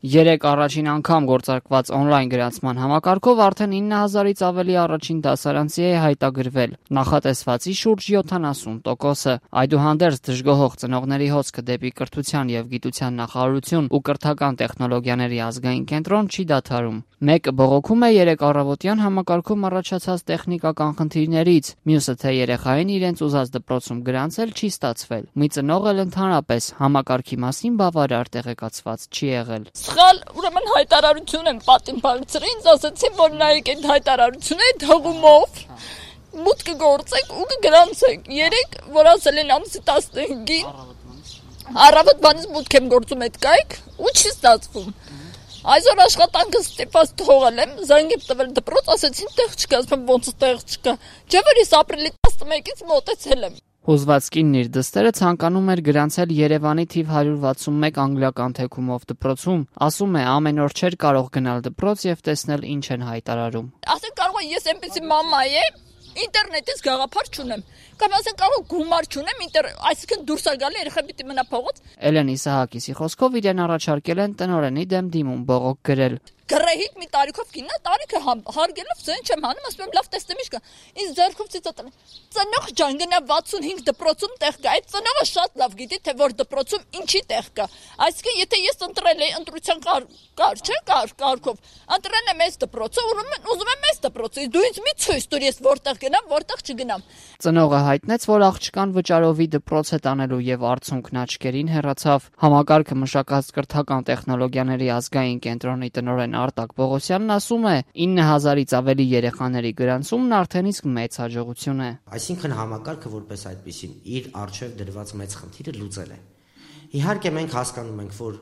Երեկ առաջին անգամ գործարկված օնլայն գրանցման համակարգով արդեն 9000-ից ավելի առաջին դասարանցի է հայտագրվել, նախատեսվածի շուրջ 70%-ը։ Այդուհանդերձ դժգոհող ծնողների հոսքը դեպի կրթության և գիտության նախարարություն ու կրթական տեխնոլոգիաների ազգային կենտրոն չի դադարում։ Մեկը բողոքում է երեկ առավոտյան համակարգում առաջացած տեխնիկական խնդիրներից, մյուսը թե երեխային իրենց ուզած դպրոցում գրանցել չի ստացվել։ Մի ծնող էլ ընդհանրապես համակարգի մասին բավարար տեղեկացված չի եղել։ Սխալ, ուրեմն հայտարարություն եմ պատին բարձր, ինձ ասացին, որ նայեք այդ հայտարարությունը այդ հղումով մուտքը գործեք ու կգրանցեք։ Երեք, որ ասել են ամսի 15-ին առավոտվանից մուտք եմ գործում այդ կայք ու չի ստացվում։ Այսօր աշխատանքը ստիպված թողել եմ, զանգ եմ տվել դպրոց, ասեցին տեղ չկա, ասում ոնց տեղ չկա։ Չէ՞ որ ես ապրիլի 11-ից մոտեցել եմ։ Հուզված կինն իր դստերը ցանկանում էր գրանցել Երևանի թիվ 161 անգլիական թեքումով դպրոցում, ասում է ամեն օր չէր կարող գնալ դպրոց եւ տեսնել ինչ են հայտարարում։ Ասեն կարող է ես այնպեսի մամա եմ, ինտերնետից գաղափար չունեմ, կամ ասեն կարող գումար չունեմ, այսինքն դուրս է գալի երեխա պիտի մնա փողոց։ Էլենի Սահակիսի խոսքով իրեն առաջարկել են տնօրենի դեմ դիմում բողոք գրել։ Գրեհիտ մի տարիքով կինա, տարիքը հարգելով ձեն չեմ հանում, ասում եմ լավ տեսնեմ ինչ կա։ Ինձ ձեռքով ցույցատել։ Ծնող ջան գնա 65 դպրոցում տեղ կա։ Այդ ծնողը շատ լավ գիտի, թե որ դպրոցում ինչի տեղ կա։ Այսինքն եթե ես ընտրել եի ընտրության կարգով, ընտրել եմ այս դպրոցը, ուրեմն ուզում եմ այս դպրոցը։ Դու ինձ մի ցույց տուր, ես որտեղ գնամ, որտեղ չգնամ։ Ծնողը հայտնեց, որ աղջկան վճարովի դպրոց է տանելու եւ արդյունքն աչքերին հեռացավ։ Համակարգը մշակած կրթական տեխնոլոգիաների ազգային կենտրոնի տնօրեն Արտակ Պողոսյանն ասում է 9000-ից ավելի երեխաների գրանցումն արդեն իսկ մեծ հաջողություն է։ Այսինքն համակարգը որպես այդպեսին իր առջև դրված մեծ խնդիրը լուծել է։ Իհարկե մենք հասկանում ենք, որ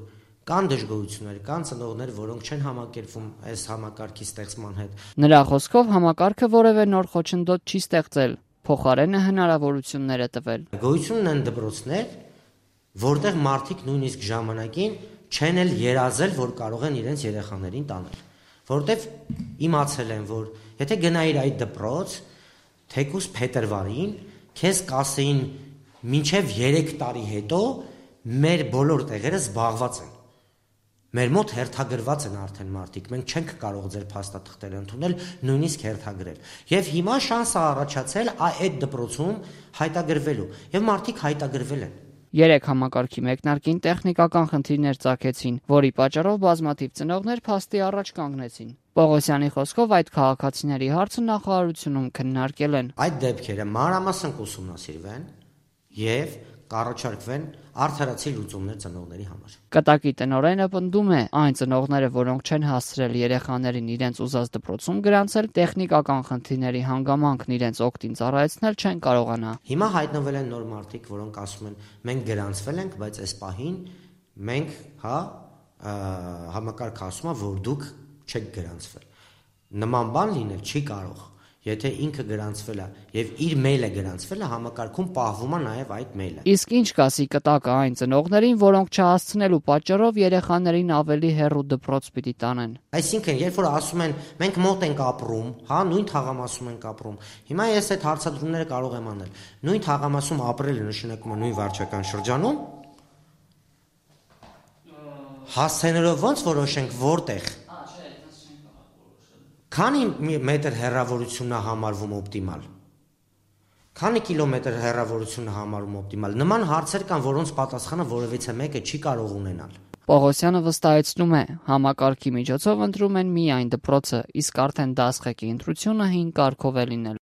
կան դժգոհություններ, կան ծնողներ, որոնք չեն համակերպվում այս համակարգի ստեղծման հետ։ Նրա խոսքով համակարգը որևէ նոր խոչընդոտ չի ստեղծել, փոխարենը հնարավորություններ է տվել։ Գոյություն ունեն դպրոցներ, որտեղ մարդիկ նույնիսկ ժամանակին չեն էլ երազել, որ կարող են իրենց երեխաներին տանել, որտեվ իմացել են, որ եթե գնայիր այդ դպրոց, թեկուզ փետրվարին քեզ կասեին մինչև 3 տարի հետո մեր բոլոր տեղերը զբաղված են։ Մեր մոտ հերթագրված են արդեն մարդիկ, մենք չենք կարող ձեր փաստաթղթերը ընդունել, նույնիսկ հերթագրել։ Եվ հիմա շանս է առաջացել այդ դպրոցում հայտագրվելու, եւ մարդիկ հայտագրվել են։ Երեք համակարգի մեկնարկին տեխնիկական խնդիրներ ծագեցին, որի պատճառով բազմաթիվ ծնողներ փաստի առաջ կանգնեցին։ Պողոսյանի խոսքով այդ քաղաքացիների հարցը նախարարությունում քննարկել են։ Այդ դեպքերը մանրամասն կուսումնասիրվեն եւ կառաջարկվեն արդարացի լուծումներ ծնողների համար։ Կտակի տնօրենը պնդում է, այն ծնողները, որոնք չեն հասցրել երեխաներին իրենց ուզած դպրոցում գրանցել, տեխնիկական խնդիրների հանգամանքն իրենց օգտին ծառայեցնել չեն կարողանա։ Հիմա հայտնվել են նոր մարդիկ, որոնք ասում են, մենք գրանցվել ենք, բայց այս պահին մենք, համակարգը ասում է, որ դուք չեք գրանցվել։ Նման բան լինել չի կարող։ Եթե ինքը գրանցվել է եւ իր մեյլը գրանցվել է, համակարգում պահվում է նաեւ այդ մեյլը։ Իսկ ինչ կասի կտակը այն ծնողներին, որոնք չհասցնելու պատճառով երեխաներին ավելի հեռու դպրոց պիտի տանեն։ Այսինքն, երբ որ ասում են մենք մոտ ենք ապրում, նույն թաղամասում ենք ապրում։ Հիմա ես այդ հարցադրումները կարող եմ անել։ Նույն թաղամասում ապրելը նշանակում է նույն վարչական շրջանում։ Հասցնելով ոնց որոշենք որտեղ։ Քանի մետր հեռավորությունն է համարվում օպտիմալ։ Քանի կիլոմետր հեռավորությունն է համարվում օպտիմալ։ Նման հարցեր կան, որոնց պատասխանը որևիցե մեկը չի կարող ունենալ։ Պողոսյանը վստահեցնում է, համակարգի միջոցով ընտրում են միայն դպրոցը, իսկ արդեն դասղեկի ընտրությունը հին կարգով է լինել։